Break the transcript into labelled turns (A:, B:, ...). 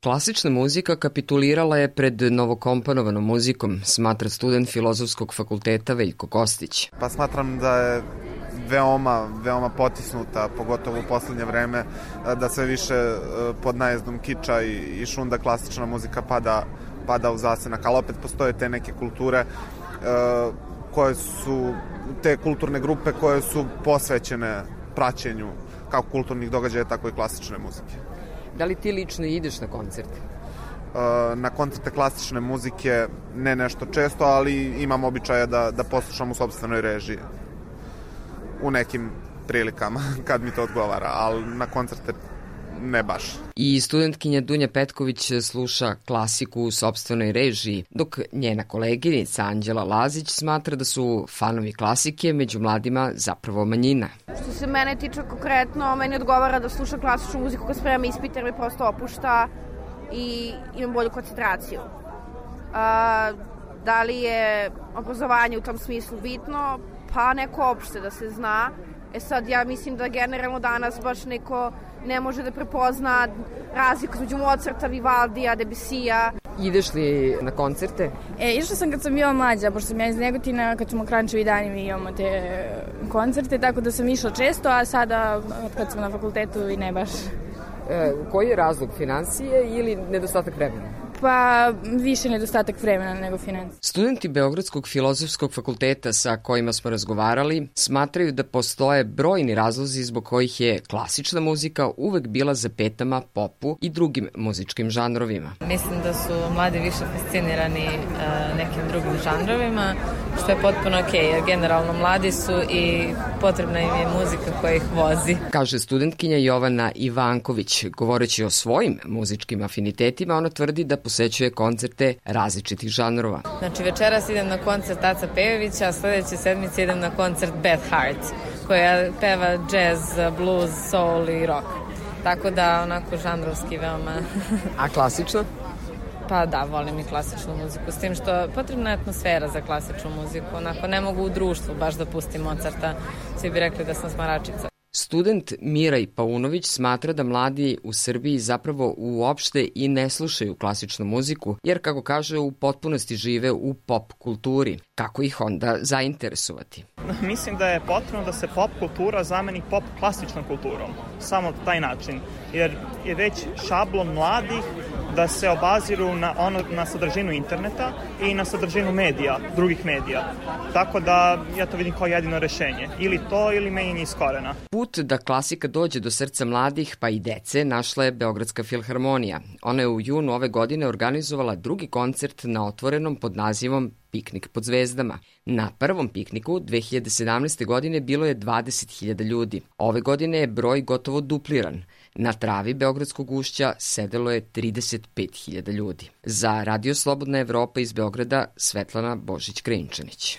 A: Klasična muzika kapitulirala je pred novokomponovanom muzikom, smatra student Filozofskog fakulteta Veljko Kostić.
B: Pa smatram da je veoma potisnuta, pogotovo u poslednje vreme, da sve više pod najezdom kiča i šunda klasična muzika pada u zasenak, ali opet postoje te neke kulture koje su, te kulturne grupe koje su posvećene praćenju kako kulturnih događaja, tako i klasične muzike.
A: Da li ti lično ideš na koncerte?
B: Na koncerte klasične muzike ne nešto često, ali imam običaja da poslušam u sopstvenoj režiji. U nekim prilikama, kad mi to odgovara, ali na koncerte ne baš.
A: I studentkinja Dunja Petković sluša klasiku u sopstvenoj režiji, dok njena koleginica Anđela Lazić smatra da su fanovi klasike među mladima zapravo manjina.
C: Što se mene tiče konkretno, meni odgovara da slušam klasičnu muziku kad spremam ispit jer me prosto opušta i imam bolju koncentraciju. Da li je obrazovanje u tom smislu bitno? Pa neko opšte da se zna. Sad ja mislim da generalno danas baš neko ne može da prepozna razliku između Mozarta, Vivaldija, Debusija.
A: Ideš li na koncerte?
D: Išla sam kad sam bila mlađa, pošto sam ja iz Negotina, kad smo Krančevi dani mi imamo te koncerte, tako da sam išla često, a sada kad sam na fakultetu i ne baš.
A: Koji je razlog, finansije ili nedostatak vremena?
D: Pa više nedostatak vremena nego financija.
A: Studenti Beogradskog filozofskog fakulteta sa kojima smo razgovarali smatraju da postoje brojni razlozi zbog kojih je klasična muzika uvek bila za petama popu i drugim muzičkim žanrovima.
E: Mislim da su mladi više fascinirani nekim drugim žanrovima, što je potpuno okej, jer generalno mladi su i potrebna im je muzika koja ih vozi.
A: Kaže studentkinja Jovana Ivanković. Govoreći o svojim muzičkim afinitetima, ona tvrdi da posećuje koncerte različitih žanrova.
E: Znači večeras idem na koncert Aca Pejovića, a sledeće sedmice idem na koncert Beth Hart, koja peva jazz, blues, soul i rock. Tako da onako žanrovski veoma...
A: A klasično?
E: Pa da, volim i klasičnu muziku, s tim što potrebna je atmosfera za klasičnu muziku. Onako ne mogu u društvu baš da pustim Mozarta, svi bi rekli da sam smaračica.
A: Student Miraj Paunović smatra da mladi u Srbiji zapravo uopšte i ne slušaju klasičnu muziku, jer kako kaže u potpunosti žive u pop kulturi. Kako ih onda zainteresovati?
F: Mislim da je potrebno da se pop kultura zameni pop klasičnom kulturom. Samo taj način. Jer je već šablon mladih da se obaziru na sadržinu interneta i na sadržinu medija, drugih medija. Tako da ja to vidim kao jedino rešenje. Ili to ili menjanje iz korena.
A: Put da klasika dođe do srca mladih pa i dece našla je Beogradska filharmonija. Ona je u junu ove godine organizovala drugi koncert na otvorenom pod nazivom Piknik pod zvezdama. Na prvom pikniku 2017. godine bilo je 20.000 ljudi. Ove godine je broj gotovo dupliran. Na travi Beogradskog ušća sedelo je 35.000 ljudi. Za Radio Slobodna Evropa iz Beograda Svetlana Božić-Krinčanić.